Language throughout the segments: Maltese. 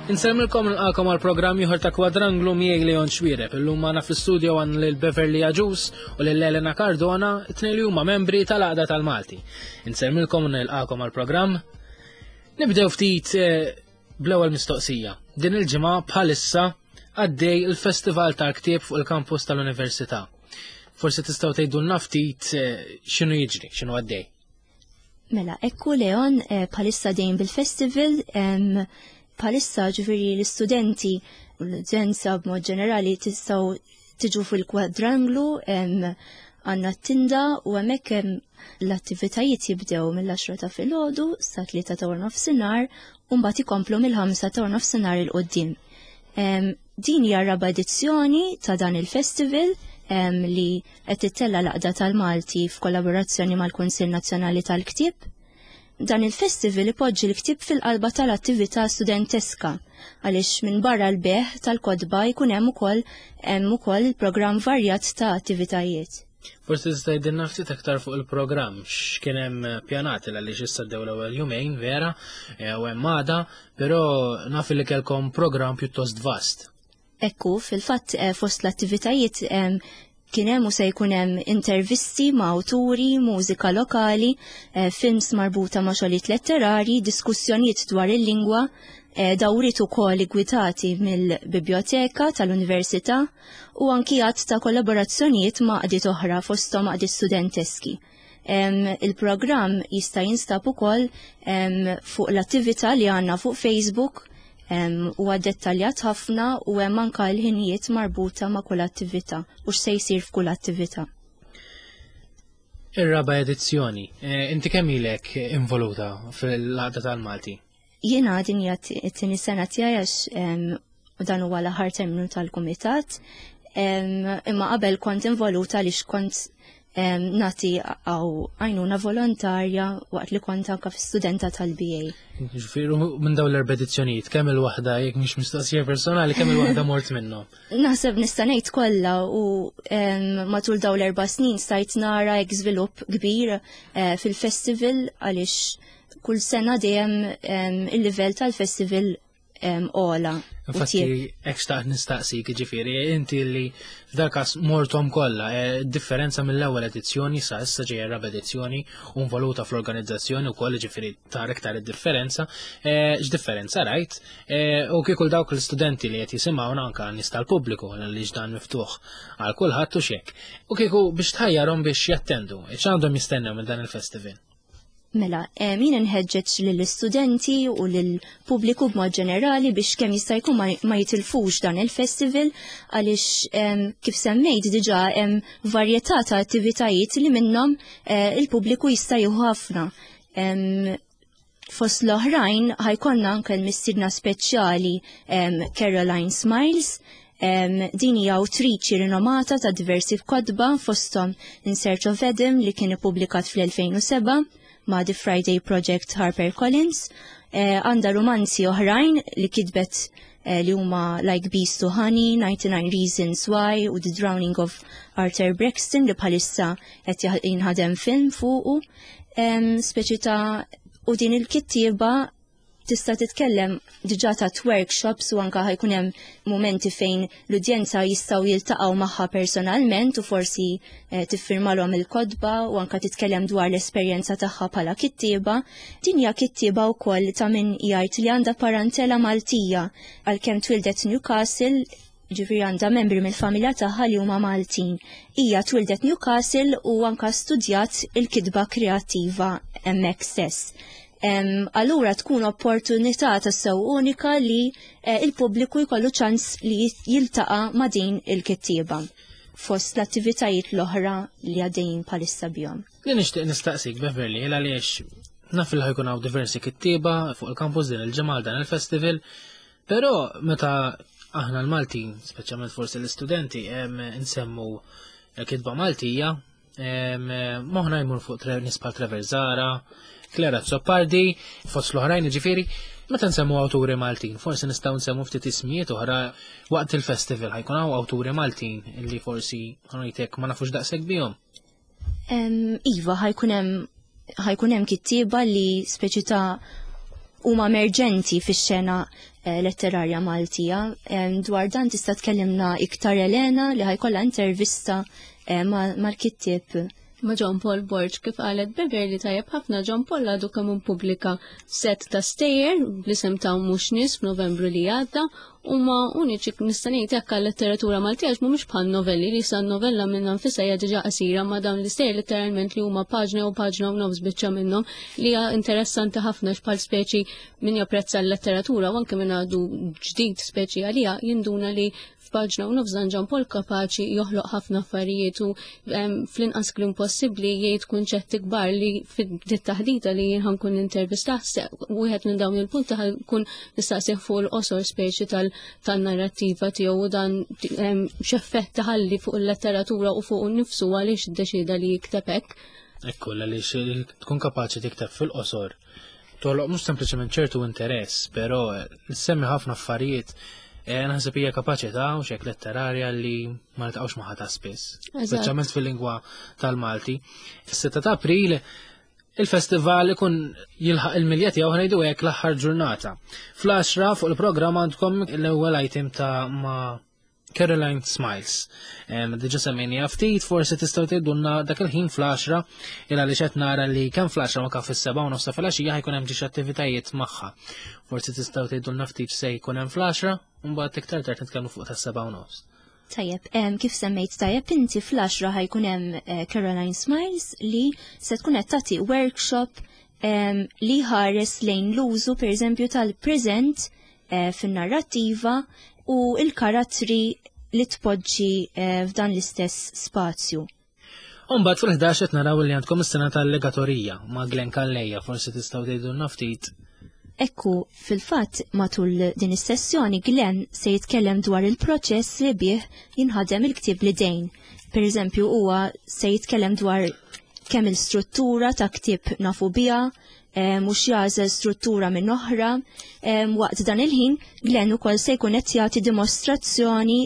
Insellmilkom nilqakom għal programm ieħor ta' Kwadranglu miegħi Leon Xwireb. Illum magħna fl-istudio għan lil Beverly Aġus u lil Elena Cardona, it-tnejn li huma membri tal-Għaqda tal-Malti. Insellmilkom nilqakom għal programm. Nibdew ftit eh, bl-ewwel mistoqsija. Din il-ġimgħa bħalissa għaddej il-Festival tal-Ktieb fuq il-kampus tal-Università. Forsi tistgħu tgħidulna ftit eh, x'inhu jiġri, x'inhu għaddej. Mela, ekku Leon eh, bħalissa dejjem bil-festival, bħalissa ġifieri l-istudenti u l-udjenza b'mod ġenerali tistgħu tiġu fil-kwadranglu għandna t-tinda u hemmhekk l-attivitajiet jibdew mill-10 ta' filgħodu sa 3 ta' nofsinhar u mbagħad ikomplu mill-5 ta' nofsinhar il qudiem Din hija raba' edizzjoni ta' dan il-festival li qed tittella' l-Għaqda tal-Malti f'kollaborazzjoni mal-Kunsill Nazzjonali tal-Ktieb. Dan il-festival ipoġġi l-ktieb fil-qalba tal-attività studenteska għaliex minn barra l-bejgħ tal-kotba jkun hemm ukoll hemm ukoll il-programm varjat ta' attivitajiet. Forsi tista' tgħidilna ftit aktar fuq il-programm, x'kien hemm pjanat għaliex issa ddew l-ewwel jumejn vera eh, u hemm għada, però naf li kellkom programm pjuttost vast. Ekku, fil-fatt eh, fost l-attivitajiet kien hemm u se jkun hemm intervisti ma' awturi, mużika lokali, eh, films marbuta ma' xogħlijiet letterari, diskussjonijiet dwar il-lingwa, dawriet ukoll igwidati mill-Biblioteka tal-Università u anki għadd ta' kollaborazzjonijiet ma' għaqdiet oħra fosthom għaqdiet studenteski. Il-programm jista' jinstab ukoll fuq l-attività li għandna fuq Facebook huwa dettaljat ħafna u hemm anka l-ħinijiet marbuta ma' kull attività u x'se jsir f'kull attività. Ir-raba' edizzjoni, eh, inti kemm ilek involuta fil-għaqda tal-Malti? Jiena din hija t-tieni sena tiegħi għax dan huwa l-aħħar terminu tal-kumitat. Imma qabel kont involuta għaliex kont nagħti għaw għajnuna volontarja waqt li kont anka studenta tal-BA. Ġifieri minn dawn l-erba' edizzjonijiet, kemm il-waħda jekk mhix mistoqsija personali, kemm il-waħda mort minnhom? Naħseb nista' ngħid kollha u matul dawn l-erba' snin stajt nara hekk żvilupp kbir eh, fil-festival għaliex kull sena dejjem il-livell tal-festival ola. Infatti, hekk xtaqt nistaqsik, ġifieri, inti li f'dal każ mortom kollha, eh, differenza mill-ewwel edizzjoni sa issa ġejja raba edizzjoni u involuta fl-organizzazzjoni wkoll ġifieri tara iktar id-differenza, eh, x'differenza rajt, eh, u kieku dawk l-istudenti li qed jisimgħuna anke nies tal-pubbliku li dan miftuħ għal kulħadd u xek. U kieku biex tħajjarhom biex jattendu, x'għandhom jistennew minn dan il-festival? Mela, eh, min inħeġġeġ lill-istudenti u lill-pubbliku b'mod ġenerali biex kemm jista' jkun ma jitilfux dan il-festival għaliex kif semmejt diġà hemm varjetà ta' attivitajiet li minnhom eh, il-pubbliku jista' jieħu ħafna. Fost l-oħrajn ħajkonna anke l-mistiedna speċjali Caroline Smiles Din hija awtriċi rinomata ta' diversi kotba fosthom In Search of Adam li kien ippubblikat fl-2007 ma' The Friday Project Harper Collins. Eh, għandha romanzi oħrajn li kitbet eh, li huma Like Bees to Honey, 99 Reasons Why u The Drowning of Arthur Braxton li bħalissa qed jinħadem film fuqu. Speċi ta' u din il-kittieba tista' titkellem diġà ta' workshops u anka ħajkun hemm mumenti fejn l-udjenza jistgħu jiltaqgħu magħha personalment u forsi eh, tiffirmalhom il-kotba u anka titkellem dwar l-esperjenza tagħha bħala kittieba. Din hija kittieba wkoll ta' min jgħid li għandha parantela Maltija għalkemm twildet Newcastle ġifieri għandha membri mill-familja tagħha li huma Maltin. Hija twildet Newcastle u anka studjat il-kitba kreattiva hemmhekk stess. Allura tkun opportunità tassew unika li eh, il-pubbliku jkollu ċans li jiltaqa' ma' din il-kittieba fost l-attivitajiet l-oħra li għaddejjin bħalissa bihom. Li nixtieq nistaqsik Beverly għaliex naf li ħajkun hawn diversi kittieba fuq il-kampus din il-ġimgħa dan il-festival Però meta aħna l-Maltin, speċjalment forsi l-istudenti, nsemmu kitba Maltija, moħna jmur fuq nies bħal Trevor Zara, Clara Zoppardi, fost l-oħrajn ġifieri, meta nsemmu awturi Maltin, forsi nistgħu nsemmu ftit ismijiet oħra waqt il-festival ħajkun hawn awturi Maltin illi forsi ħanajtek ma nafux daqshekk bihom. Iva, ħajkun hemm ħajkun hemm kittieba li speċi ta' huma emerġenti fix-xena letterarja Maltija. Dwar dan tista' tkellimna iktar Elena li ħa jkollha intervista mal-kittieb ma' John Paul Borg. Kif qalet Beverly tajjeb ħafna, John Paul għadu kemm ippubblika set ta' stejjer bl-isem ta' Mhux Nies f'Novembru li għadda. Huma uniċi, nista' ngħid hekk, għal-letteratura Maltija, għax mhumiex bħal novelli li sa novella minnha nfisha hija diġà qasira, ma dawn l-istejjer letteralment li huma paġna u paġna u nofs biċċa minnhom, li hija interessanti ħafna bħal speċi min japprezza l-letteratura u anke min għadu ġdid speċi għalija jinduna li f'paġna u nofs dan John Paul kapaċi joħloq ħafna affarijiet u fl-inqas kliem possibbli jgħid kunċetti kbar li fid-taħdita li jien ħa nkun intervista wieħed minn dawn il-punti ħa nkun nistaqsih fuq il-qosor speċi tal-narrattiva tiegħu u dan x'effett taħalli fuq il-letteratura u fuq nifsu, għaliex iddeċida li jikteb hekk. Ekku, għaliex tkun kapaċi tikteb fil-qosor, toħloq mhux sempliċement ċertu interess, però semmi ħafna affarijiet, naħseb hija kapaċità u xek letterarja li ma niltaqgħux magħha ta' spiss. Speċjalment fil-lingwa tal-Malti. Fis-6 ta' April il-festival ikun jilħaq il-milja tiegħu, ħa ngħidu hekk, l-aħħar ġurnata. Fl-10 fuq il-programm għandkom l-ewwel item ta' ma' Caroline Smiles. Diġà semmejni ftit, forsi tistgħu tgħidulna dak il-ħin fl-10, illa li qed nara li kemm fl-10 ma fis-7:30 filgħaxija ħa jkun hemm ġiex attivitajiet magħha. Forsi tistgħu tgħidulna ftit se jkun hemm fl-10 u mbagħad iktar tard nitkellmu fuq tas-7:30. Tajjeb, kif semmejt tajjeb inti, fl-10 ħa jkun hemm Caroline Smiles li se tkun qed tagħti workshop li ħares lejn l-użu, pereżempju, tal-preżent fin-narrattiva u il-karattri li tpoġġi f'dan l-istess spazju. Umbagħad fil-11 qed naraw li għandkom is-sena tal-legatorija ma' Glenn Calleja, forsi tistgħu tgħidulna ftit. Ekku, fil-fatt matul din is-sessjoni Glenn se jitkellem dwar il-proċess li bih jinħadem il-ktib bl-idejn. Per eżempju, huwa se jitkellem dwar kemm il-struttura ta' ktib nafu biha, mhux jagħżel struttura minn oħra. Waqt dan il-ħin, Glenn ukoll se jkun qed jagħti dimostrazzjoni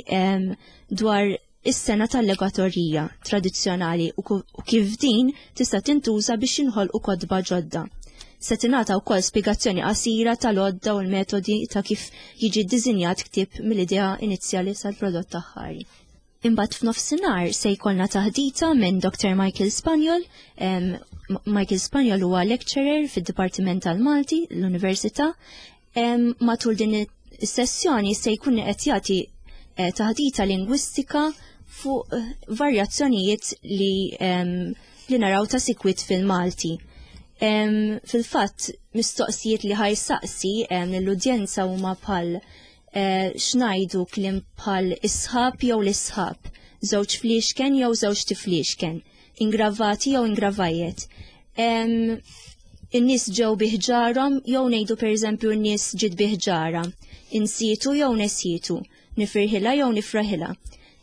dwar is-sengħa tal-legatorija tradizzjonali u kif din tista' tintuża biex jinħolqu kotba ġodda. Se tingħata wkoll spjegazzjoni qasira tal-għodda u l-metodi ta' kif jiġi ddisinjat ktieb mill-idea inizjali sal-prodott aħħari. Imbagħad f'nofsinhar se jkollna taħdita minn Dr. Michael Spagnol. Michael Spagnol huwa lecturer fid-Dipartiment tal-Malti l-Università. Matul din is-sessjoni se jkun qed jagħti taħdita lingwistika fuq varjazzjonijiet li naraw ta' sikwit fil-Malti. Fil-fatt, mistoqsijiet li ħa jsaqsi lill-udjenza huma bħal x'ngħidu kliem bħal isħab jew l-isħab, żewġ fliexken jew żewġ tifliexken, ingravati jew ingravajiet. In-nies ġew biħġarhom jew ngħidu, pereżempju, n-nies ġiet biħġara, insietu jew nesietu, nifirħilha jew nifraħilha.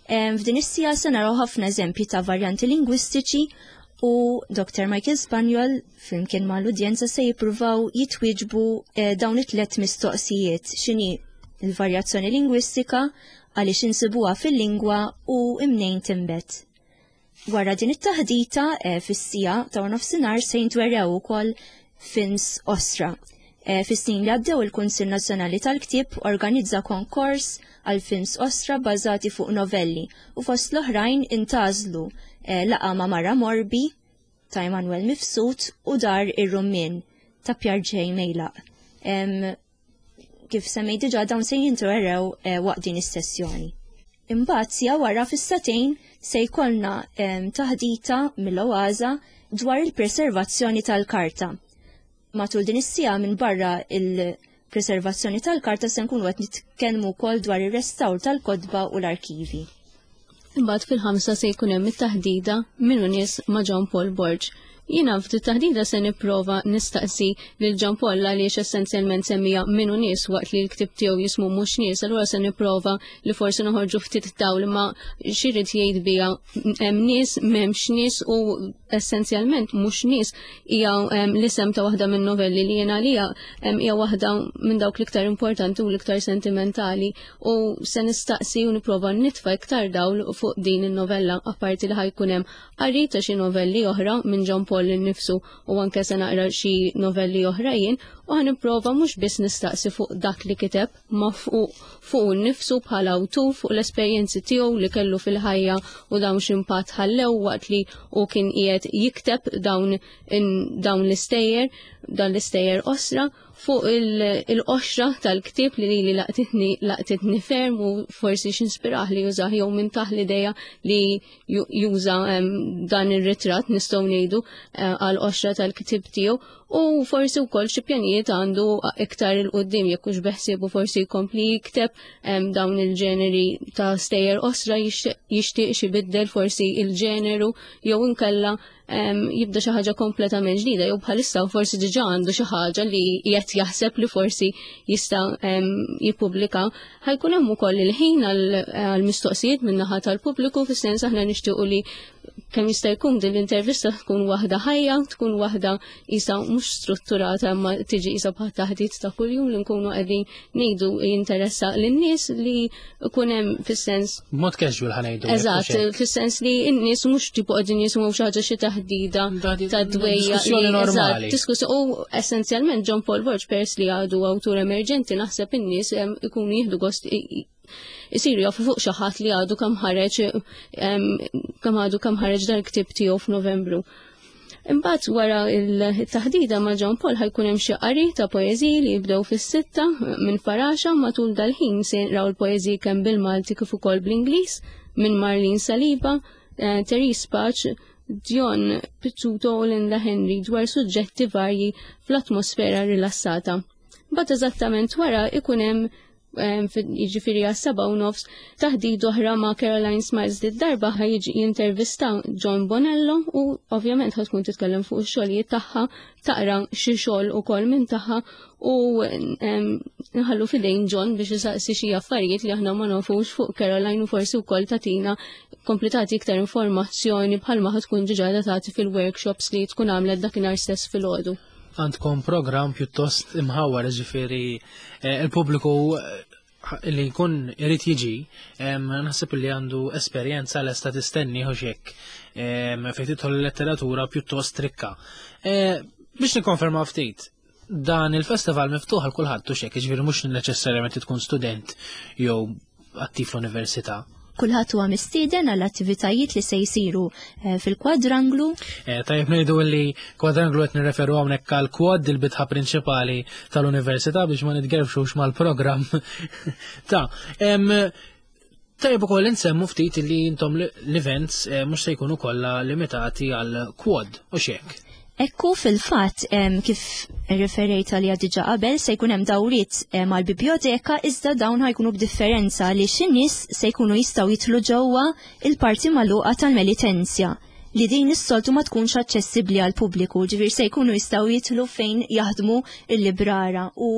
F'din is-siegħa se naraw ħafna eżempji ta' varjanti lingwistiċi u Dr. Michael Spagnol flimkien ma' l-udjenza se jippruvaw jitwieġbu dawn it-tlet mistoqsijiet: x'inhi il-varjazzjoni lingwistika, għaliex insibuha fil-lingwa u imnejn tinbet. Wara din it-taħdita fis-siegħa ta' nofsinhar se jintwerew ukoll films qosra. Fis-snin li għaddew, il-Kunsill Nazzjonali tal-Ktieb organizza konkors għal films qosra bażati fuq novelli u fost l-oħrajn intgħażlu Laqgħa ma' Mara Morbi ta' Emanuel Mifsud u Dar ir-Rummin ta' Pjarġej Mejlaq. Kif semmejt diġà, dawn se jintwerew waqt din is-sessjoni. Imbagħad siegħa wara, fis-sagħtejn, se jkollna taħdita mill-Oaża dwar il-preservazzjoni tal-karta. Matul din is-siegħa, minn barra il-preservazzjoni tal-karta, se nkunu qed nitkellmu wkoll dwar ir-restawr tal-kotba u l-arkivi. Imbagħad fil-5 se jkun hemm it-taħdida Min Hu Nies ma' John Paul Borg. Jiena f'din taħdida se nipprova nistaqsi lil John Paul għaliex essenzjalment semmija Min Hu Nies waqt li l-ktib tiegħu jismu Mhux Nies, allura se nipprova li forsi noħorġu ftit dawl ma x'irid jgħid biha, hemm nies, m'hemmx nies, u essenzjalment Mhux Nies hija l-isem ta' waħda minn novelli li jiena għalija hija waħda minn dawk l-iktar importanti u l-iktar sentimentali, u se nistaqsi u nipprova nitfa' iktar dawl fuq din in-novella, apparti li ħa jkun hemm qari ta' xi novelli oħra minn John Paul. Paul innifsu u anke se naqra xi novelli oħra jien u ħa nipprova mhux biss nistaqsi fuq dak li kiteb ma fuq fuq nnifsu bħala awtur, fuq l-esperjenzi tiegħu li kellu fil-ħajja u dawn x'impatt ħallew waqt li hu kien qiegħed jikteb dawn dawn l-istejjer, dan l-istejjer qosra fuq il-qoxra tal-ktieb li lili laqtitni laqtitni ferm u forsi x'inspirah li jużah jew minn taħ l-idea li juża dan ir-ritratt nistgħu ngħidu eh, għal qoxra tal-ktieb tiegħu u forsi wkoll xi pjanijiet għandu iktar il qudiem jekk hux beħsiebu forsi jkompli jikteb dawn il-ġeneri ta' stejjer qosra jixtieq xi biddel forsi il-ġeneru jew inkella jibda xi ħaġa kompletament ġdida jew bħalissa forsi diġà għandu xi ħaġa li qed jaħseb li forsi jista' jippubblika. Ħajkun hemm ukoll il-ħin għall-mistoqsijiet min-naħa tal-pubbliku fis-sens aħna nixtiequ li kemm jista' jkun din l-intervista tkun waħda ħajja, tkun waħda isa mhux strutturata imma tiġi isa bħal taħdit ta' kuljum li nkunu qegħdin ngħidu jinteressa lin-nies li jkun hemm fis-sens. Mod casual ħa ngħidu. Eżatt, fis-sens li n-nies mhux tipo qegħdin jisimgħu xi ħaġa xi taħdida ta' dwejja. Diskussjoni normali. Diskussjoni u essenzjalment John Paul Borg peress li għadu awtur emerġenti naħseb in-nies ikunu jieħdu gost isiru jafu fuq xi ħadd li għadu kemm ħareġ kemm għadu kemm ħareġ dal-ktieb tiegħu f'Novembru. Imbagħad wara il-taħdida ma' John Paul ħajkun hemm xi qari ta' poeżiji li jibdew fis-sitta minn Faraxa matul dal-ħin se jinqraw il-poeżiji kemm bil-Malti kif ukoll bl-Ingliż minn Marlene Saliba, eh, Therese Pace, Dion Pizzuto u Linda Henry dwar suġġetti varji fl-atmosfera rilassata. Mbagħad eżattament wara ikun hemm jiġifieri għas-7:30 taħdid oħra ma' Caroline Smiles li darba ħa jiġi jintervista John Bonello u ovvjament ħa tkun titkellem fuq ix-xogħlijiet tagħha, taqra xi xogħol ukoll minn tagħha u nħallu fidejn John biex isaqsi xi affarijiet li aħna ma nafux fuq Caroline u forsi wkoll tagħtina kompletati iktar informazzjoni bħalma ħa tkun diġà tagħti fil-workshops li tkun għamlet dakinhar stess filgħodu. Għandkom programm pjuttost imħawwar, ġifieri eh, il-pubbliku eh, li jkun irid jiġi, naħseb li għandu esperjenza lesta tistenni u xek fejn tidħol il-letteratura pjuttost rikka. Eh, biex nikkonferma ftit, dan il-festival miftuħ għal kulħadd u xek, ġifieri mhux neċessarjament tkun student jew attiv fl-università. Kulħadd huwa mistieden għall attivitajiet li se jsiru eh, fil-kwadranglu. Eh, tajjeb ngħidu li kwadranglu qed nirreferu hawnhekk għal kwad il-bitħa prinċipali tal-università biex ma nitgerfxux mal-programm. Ta' Tajjeb ukoll insemmu ftit li intom l-events eh, mhux se jkunu kollha limitati għal kwad u xek. Ekku fil-fatt kif referejt għalija diġa qabel se jkun hemm dawriet mal-bibljoteka iżda dawn ħajkunu b'differenza li in-nies se jkunu jistgħu jidħlu ġewwa il-parti magħluqa tal-Melitenzja li din is-soltu ma tkunx aċċessibbli għal pubbliku, ġifier se jkunu jistgħu jidħlu fejn jaħdmu il-librara u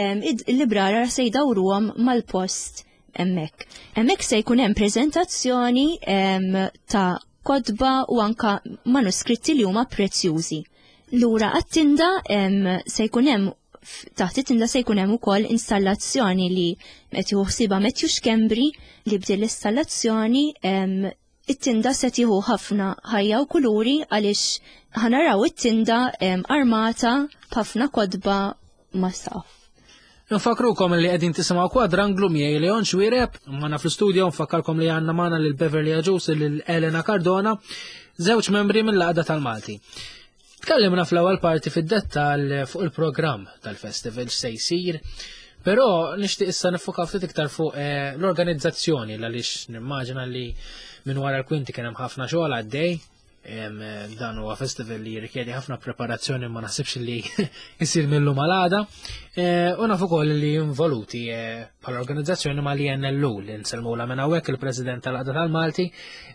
il-librara se jdawruhom mal-post hemmhekk. Hemmhekk se jkun hemm preżentazzjoni ta' kotba u anka manuskritti li huma prezzjużi. Lura għat-tinda se jkun hemm taħt it-tinda se jkun hemm ukoll installazzjoni li qed jieħu ħsiebha Matthew Schembri li b'din l-installazzjoni it-tinda se tieħu ħafna ħajja u kuluri għaliex ħanaraw it-tinda armata b'ħafna kotba ma' saqaf. Nfakrukom li qegħdin tisimgħu Kwadranglu miegħi Leon Xuereb, magħna fl-istudio nfakkarkom li għandna magħna lil Beverly Agius lil Elena Cardona, żewġ membri mill-Għaqda tal-Malti. Tkellimna fl-ewwel parti fid-dettall fuq il-programm tal-festival x'se jsir, però nixtieq issa nifoka ftit iktar fuq eh, l-organizzazzjoni għaliex nimmaġina li minn wara l-kwinti kien hemm ħafna xogħol għaddej Dan huwa festival li jirrikjedi ħafna preparazzjoni ma naħsibx li jsir millu malada. Eh, u naf ukoll li involuti eh, bħala organizzazzjoni ma li NLU li nsellmula minn hawnhekk il-President tal-Qada tal-Malti.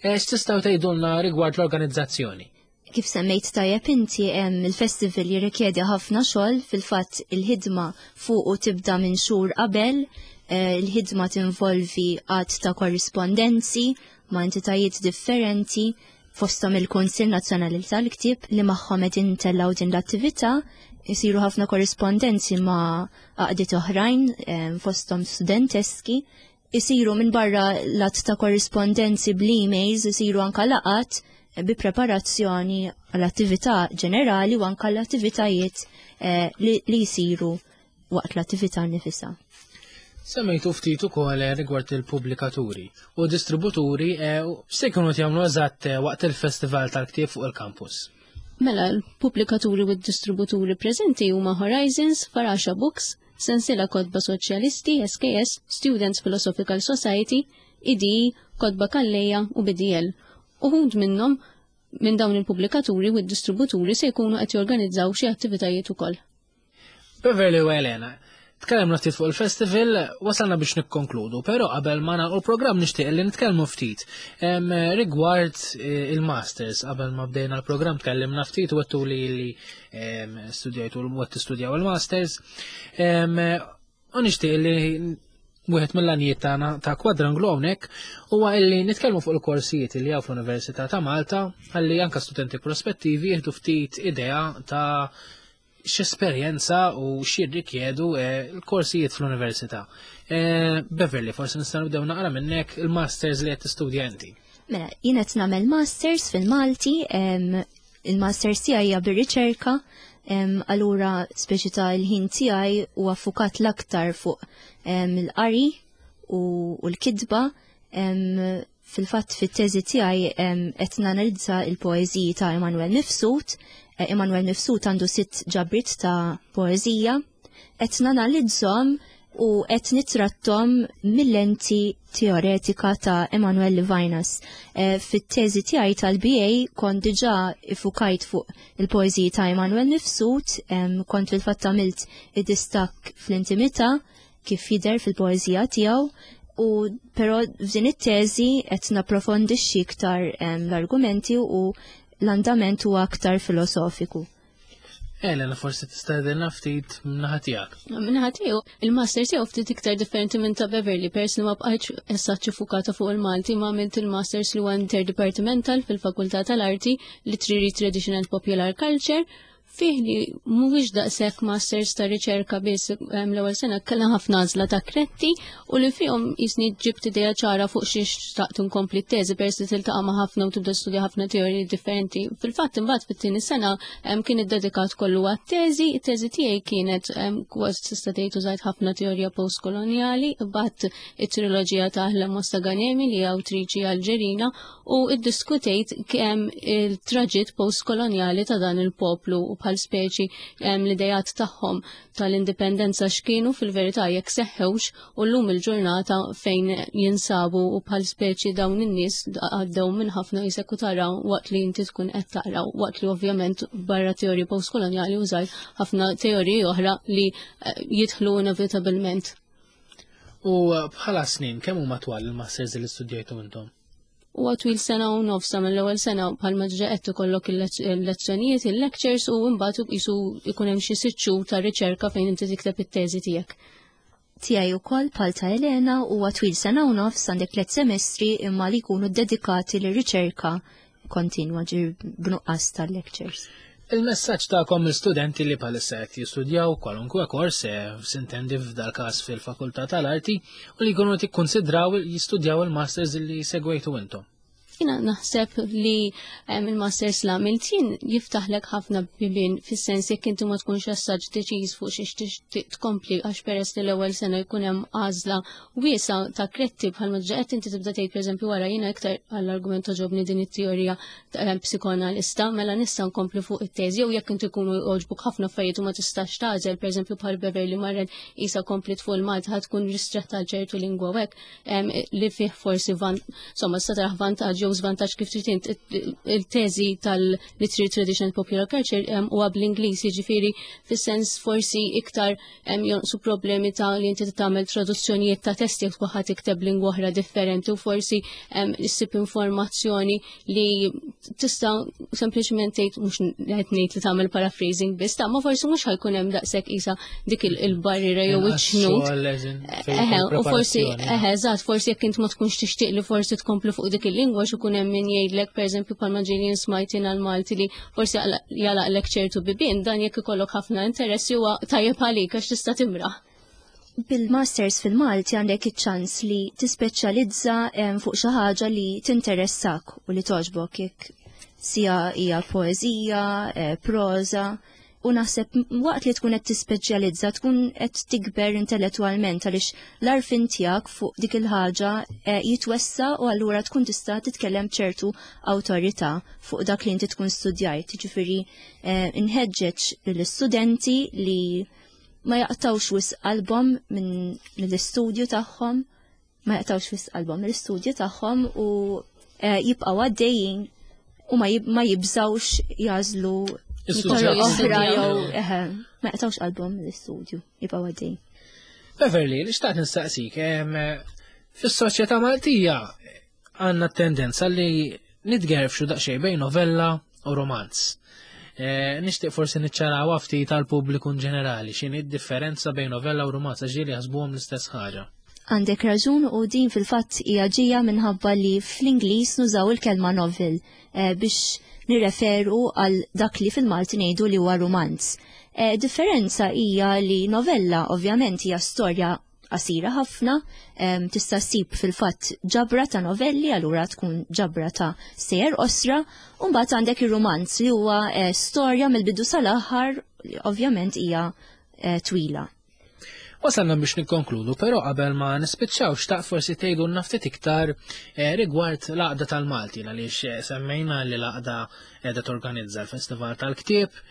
Eh, x'tistgħu tgħidulna rigward l-organizzazzjoni? Kif semmejt tajjeb inti il-festival jirrikjedi ħafna xogħol fil-fatt il-ħidma fuqu tibda minn xhur qabel, il-ħidma tinvolvi għadd ta' korrispondenzi ma' entitajiet differenti fosthom il-Kunsill Nazzjonali tal-Ktieb li magħhom qed intellgħu din l-attività, isiru ħafna korrispondenzi ma' għaqdiet oħrajn fosthom studenteski, isiru minn barra l-att ta' korrispondenzi bl-emails, isiru anka laqat bi preparazzjoni għall-attività ġenerali u anke l-attivitajiet eh, li jsiru waqt l-attività nifisha. Semmejtu ftit ukoll eh, rigward il-pubblikaturi u distributuri eh, se jkunu jagħmlu eżatt waqt il-festival tal-ktieb fuq il-kampus. Mela, l-pubblikaturi u d-distributuri preżenti huma Horizons, Farasha Books, Sensiela Kotba Soċjalisti, SKS, Students Philosophical Society, IDI, Kotba Calleja u BDL. Uħud minnhom minn dawn il-pubblikaturi u d-distributuri se jkunu qed jorganizzaw xi attivitajiet ukoll. Beverly u Elena, tkellimna ftit fuq il-festival, wasalna biex nikkonkludu, però qabel ma nagħlqu l-programm nixtieq li nitkellmu ftit rigward eh, il-masters. Qabel ma bdejna l-programm tkellimna ftit u għettu li li studjajtu u qed tistudjaw il-masters. U nixtieq li wieħed mill-għanijiet tagħna ta' kwadranglu hawnhekk huwa illi nitkellmu fuq il-korsijiet li hawn fl-Università ta' Malta ħalli anke studenti prospettivi jieħdu ftit idea ta' x'esperjenza u x'jirrikjedu eh, l-korsijiet fl-università. Eh, Beverly, forsi nista' nibdew naqra minnek il-masters li qed tistudja inti. Mela, jien qed nagħmel masters fil-Malti, il-masters tiegħi hija bir-riċerka, allura speċi ta' il-ħin tiegħi huwa fukat l-aktar fuq il-qari u l-kitba. Fil-fatt fit-teżi tiegħi qed nanalizza il-poeżiji ta' Emanuel Mifsud. Eh, Emanuel Mifsud għandu sitt ġabriet ta' poeżija. Qed nanalizzhom u qed nitrattom mill-lenti teoretika ta' Emanuel Levinas. Eh, fit-teżi tiegħi tal-BA kont diġà ifukajt fuq il-poeżiji ta' Emanuel Mifsud, kont fil-fatt għamilt id-distakk fl-intimità kif jidher fil-poeżija tiegħu u però f'din it-teżi qed napprofondixxi iktar l-argumenti u l-andament huwa aktar filosofiku. Elena, forsi tista' tgħidilna ftit min-naħa tiegħek. Min-naħa tiegħu, il-master tiegħu ftit iktar differenti minn ta' Beverly peress li ma bqajtx essaċ fukata fuq il-Malti ma għamilt il-masters li huwa interdepartmental fil-Fakultà tal-Arti, Literary Tradition and Popular Culture fih li mhuwiex daqshekk masters ta' riċerka biss l-ewwel sena kellna ħafna għażla ta' kretti u li fihom jisni ġibt idea ċara fuq xiex xtaqt inkompli t-teżi peress li tiltaqa' ma' ħafna u tibda studja ħafna teoriji differenti. Fil-fatt imbagħad fit-tieni sena kien iddedikat kollu għat-teżi, it-teżi tiegħi kienet kważi tista' tgħid użajt ħafna teorija postkolonjali, imbagħad it-triloġija ta' Ahlem Mostaganemi li hija awtriċi Alġerina u iddiskutejt kemm il-traġitt postkolonjali ta' dan il-poplu u bħal speċi l-idejat tagħhom tal-indipendenza x'kienu fil-verità jekk seħħewx u llum il-ġurnata fejn jinsabu u bħal speċi dawn in-nies għaddew minn ħafna jisek u tara waqt li inti tkun qed taqra waqt li ovvjament barra teoriji postkolonjali użajt ħafna teoriji oħra li eh, jidħlu inevitabilment. U bħala snin, kemm huma twal il-masters li studjajtu intom? Huwa twil sena u nofs mill-ewwel sena bħalma ġa qed ikollok il-lezzjonijiet, il-lectures u mbagħad qisu jkun hemm xi sitt xhur ta' riċerka fejn inti tikteb it-teżi tiegħek. Tiegħi wkoll bħal ta' Elena huwa twil sena u nofs għandek tliet semestri imma li jkunu dedikati lir-riċerka kontinwa ġir b'nuqqas tal-lectures. Il-messaġġ tagħkom l-studenti li bħalissa qed jistudjaw kwalunkwe kors eh, sintendi f'dal każ fil-Fakultà tal-Arti u li jkunu qed jikkunsidraw jistudjaw il-masters li segwejtu intom. Jina naħseb li il-masters la għamilt jien jiftaħlek ħafna bibien fis-sens jekk inti ma tkunx assaġ deċiż fuq xiex tixtieq tkompli għax peress li l-ewwel sena jkun hemm għażla wiesa ta' kretti bħalma diġà qed inti tibda tgħid pereżempju wara jiena iktar għall-argument toġobni din it-teorija psikoanalista mela nista' nkompli fuq it-teżi jew jekk inti jkunu jogħġbuk ħafna affarijiet u ma tistax tagħżel pereżempju bħal Beverly marret isa komplit fuq il-Malta ħad tkun ristretta għal ċertu lingwa u hekk li fih forsi van insomma sta taraħ vantaġġ jew żvantaġġ kif trid int il-teżi tal-Literary Tradition and Popular Culture huwa bl-Ingliż jiġifieri fis-sens forsi iktar jonqsu problemi ta' li inti tagħmel traduzzjonijiet ta' testi jekk tkun ħadd tikteb lingwa oħra differenti u forsi issib informazzjoni li tista' sempliċement tgħid mhux qed ngħid li tagħmel paraphrasing biss, ta' ma forsi mhux ħajkun hemm daqshekk isa dik il-barriera jew iċ-ċnut. Eħe, u forsi eħe, eżatt, forsi jekk int ma tkunx tixtieq li forsi tkompli fuq dik il-lingwa x'ikun hemm min jgħidlek pereżempju bħalma ġieli smajt jien għall-Malti li forsi jalaqlek ċertu bibien dan jekk ikollok ħafna interessi huwa tajjeb għalik għax tista' timraħ. Bil-masters fil-Malti għandek iċ-ċans li tispeċjalizza fuq xi ħaġa li tinteressak u li togħġbok jekk. Sija hija poeżija, eh, proża, u naħseb waqt li tkun qed tispeċjalizza tkun qed tikber intellettwalment għaliex l-arfin tiegħek fuq dik il-ħaġa eh, jitwessa u allura tkun tista' titkellem ċertu awtorità fuq dak li inti tkun studjajt. Ġifieri eh, inħeġġeġ lill-istudenti li ma jaqtawx wisq qalbhom minn mill-istudju tagħhom, ma jaqtawx wisq qalbhom mill-istudju tagħhom u eh, jibqgħu għaddejjin u ma jibżawx jażlu toroq oħra jew ma jaqtawx qalbhom mill-istudju, jibqgħu għaddejjin. Beverly, li xtaqt nistaqsik, fis-soċjetà Maltija għandna tendenza li nitgerfxu daqsxejn bejn novella u romanz. E, nixtieq forsi niċċaraw ftit tal-pubbliku in ġenerali x'inhi d-differenza bejn novella u romanz għax ġieli jaħsbuhom l-istess ħaġa. Għandek raġun u din fil-fatt hija ġejja minħabba li fl-Ingliż nużaw il-kelma novel e, biex nirreferu għal dak li fil-Malti ngħidu li huwa romanz. E, differenza hija li novella ovvjament hija storja qasira ħafna, tista' ssib fil-fatt ġabra ta' novelli, allura tkun ġabra ta' sejjer qosra, u mbagħad għandek ir-rumanz li huwa eh, storja mill-bidu sal-aħħar li ovvjament hija eh, twila. Wasalna biex nikkonkludu, però qabel ma nispiċċaw xtaq forsi tgħidu ftit iktar eh, rigward l-għaqda tal-Malti għaliex semmejna li l-għaqda qiegħda torganizza l-Festival tal-Ktieb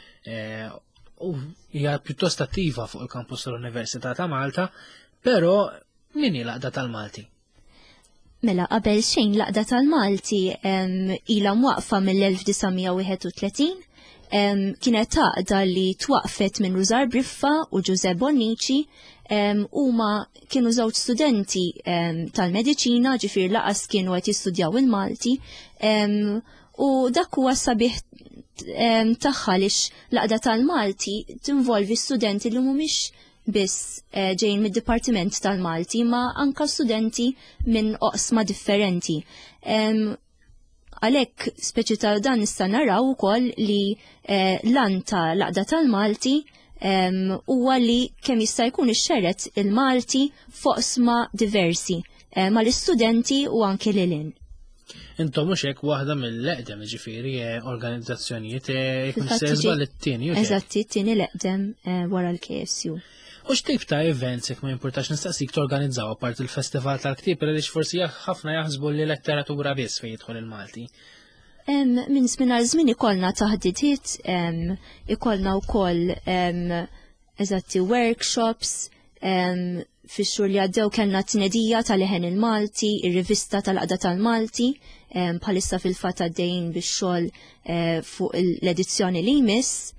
u hija pjuttost attiva fuq il-kampus tal-Università ta' Malta, però min hi l-għaqda tal-Malti? Mela qabel xejn l-għaqda tal-Malti ilha mwaqfa mill-1931 kienet għaqda li twaqfet minn Rużar Briffa u Ġuże Bonnici huma kienu żewġ studenti tal-mediċina ġifier laqas kienu qed jistudjaw il-Malti U dak huwa sabiħ tagħha lix l-għaqda tal-Malti tinvolvi studenti li mhumiex biss eh, ġejjin mid-Dipartiment tal-Malti ma anka studenti minn oqsma differenti. Għalhekk speċi ta' dan nista' naraw ukoll li eh, lan ta' l-għaqda tal-Malti huwa li kemm jista' jkun ixxeret il-Malti f'oqsma diversi eh, mal-istudenti u anke lilin. Intom mhux hekk waħda mill-eqdem ġifieri eh, organizzazzjonijiet eh, jekk sezba li t-tieni. Eżatt, it-tieni l-eqdem eh, wara l-KSU. U x'tip ta' events jekk ma jimpurtax nistaqsik torganizzaw apart il-festival tal-ktieb għaliex forsi ħafna jaħsbu li letteratura biss fejn jidħol il-Malti. Minn żmien għal żmien ikollna taħdidiet, ikollna wkoll eżatti workshops, fix-xhur li għaddew kellna tnedija tal-Leħen il-Malti, ir-rivista tal-Qda tal-Malti, bħalissa fil-fatt għaddejjin bix-xogħol eh, fuq l-edizzjoni li jmiss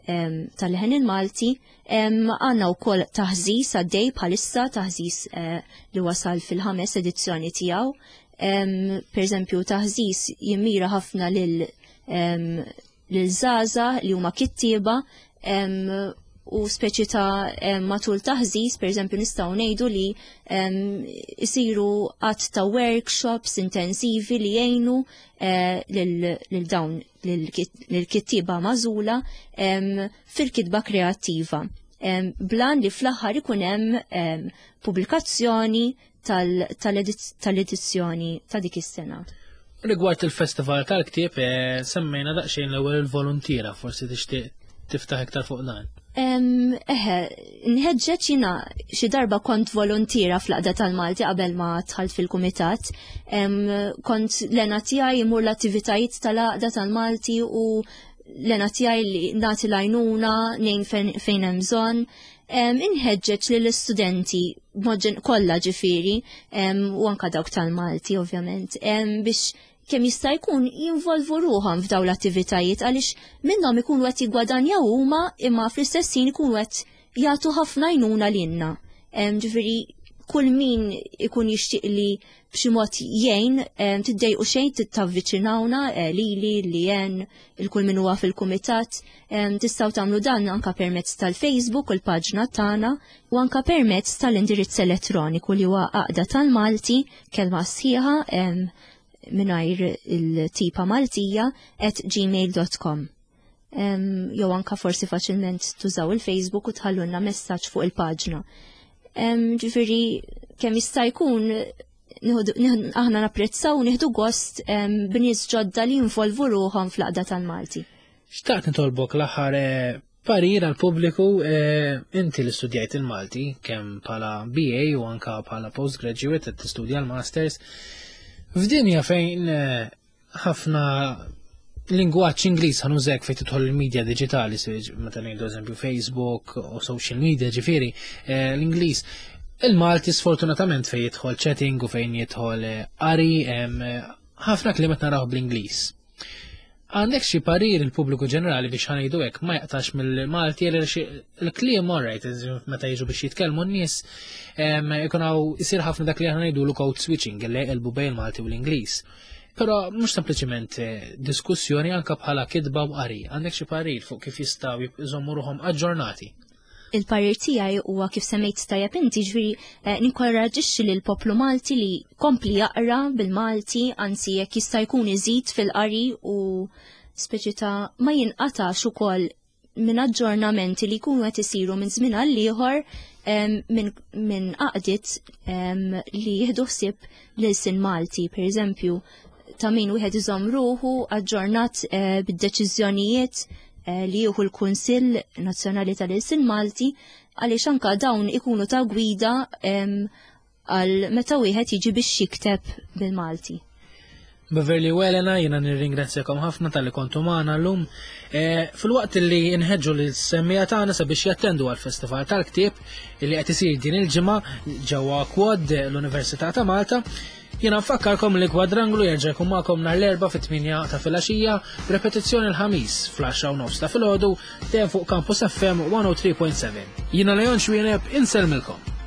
tal-Leħen il-Malti. Għandna wkoll taħżis għaddej bħalissa, taħżis eh, li wasal fil-ħames edizzjoni tiegħu. Per eżempju, taħżis jimmira ħafna lil lil żgħażagħ li huma kittieba u speċi ta' matul taħżiż, per eżempju, nistgħu ngħidu li isiru qatt ta' workshops intensivi li jgħinu eh, lil dawn lil-kittieba magħżula fil-kitba kreattiva. Blan li fl-aħħar ikun hemm pubblikazzjoni tal-edizzjoni ta' dik is-sena. Rigward il-festival tal-ktieb, eh, semmejna daqsxejn l-ewwel il-voluntiera, forsi tixtieq tiftaħ iktar fuq dan. Eħe, nħeġġeġ jina xi darba kont volontiera fl-qda tal-Malti qabel ma dħalt fil-kumitat. Kont l-ena tiegħi imur l-attivitajiet tal-għaqda tal-Malti u l-ena tiegħi li nagħti l-għajnuna, ngħin fejn hemm bżonn. Inħeġġeġ lill-istudenti b'mod kollha ġifieri u anka dawk tal-Malti ovvjament biex kemm jista' jkun jinvolvu ruħhom f'dawn l-attivitajiet għaliex minnhom ikunu qed jiggwadanjaw huma imma fl-istess ħin ikunu qed jagħtu ħafna għajnuna lilna. Ġifieri kull min ikun jixtieq li b'xi mod jgħin tiddejqu xejn tavviċinawna eh, lili li jen il-kull min huwa fil-kumitat. Tistgħu tagħmlu dan anka permezz tal-Facebook u l-paġna tagħna u anka permezz tal-indirizz elettroniku li huwa għaqda tal-Malti kelma sħiħa mingħajr il-tipa Maltija at gmail.com. Jew anka forsi faċilment tużaw il-Facebook u tħallulna messaġġ fuq il-paġna. Ġifieri kemm jista' jkun Aħna napprezzaw u nieħdu gost b'nies ġodda li jinvolvu ruħhom fl-Għaqda tal-Malti. Xtaqt nitolbok l-aħħar eh, parir għal pubbliku eh, inti li studjajt il-Malti kemm bħala BA u anka bħala postgraduate qed tistudja l-masters. F'dinja fejn eh, ħafna lingwaġġ Ingliż ħanużek fejn tidħol il-medja diġitali, meta ngħidu eżempju Facebook u social media ġifieri, eh, l-Ingliż. Il-Malti sfortunatament fejn jidħol chatting u fejn jidħol qari ħafna kliem qed naraw bl-Ingliż. Għandek xi parir il-pubbliku ġenerali biex ħanejdu hekk ma jaqtax mill-Malti għal il-kliem alright, meta jiġu biex jitkellmu n-nies, ikun hawn isir ħafna dak li aħna ngħidulu code switching li jqelbu bejn il-Malti u l-Ingliż. Però mhux sempliċiment eh, diskussjoni anke bħala kitba u qari, għandek xi parir fuq kif jistgħu jżommu ruħhom aġġornati. Il-parir tiegħi huwa kif semmejt tajjeb inti ġifieri eh, ninkoraġixxi lil poplu Malti li kompli jaqra bil-Malti, anzi jekk jista' jkun iżid fil-qari u speċi ta' ma jinqatax ukoll minn aġġornamenti li jkunu qed isiru minn żmien għal ieħor minn min għaqdiet li jieħdu ħsieb l-ilsien Malti, per eżempju, ta' min wieħed iżomm ruħu aġġornat eh, bid-deċiżjonijiet eh, li jieħu l-Kunsill Nazzjonali tal-Ilsien Malti għaliex anka dawn ikunu ta' gwida għal meta wieħed jiġi biex jikteb bil-Malti. Beverly u Elena, jena nirringrazzjakom ħafna tal-li kontu magħna llum. Eh, fil-waqt li nħeġġu l semmija tagħna sabiex jattendu għal-Festival tal-Ktieb li qed isir din il-ġimgħa ġewwa Kwad l-Università ta' Malta, Jiena nfakkarkom li Kwadranglu jerġa' jkun magħkom nhar l-Erbgħa fit-8 ta' filgħaxija, b'repetizzjoni l-Ħamis fl-10 u nofs ta' filgħodu dejjem fuq Campus FM 103.7. Jiena Leon Xwieneb insellmilkom.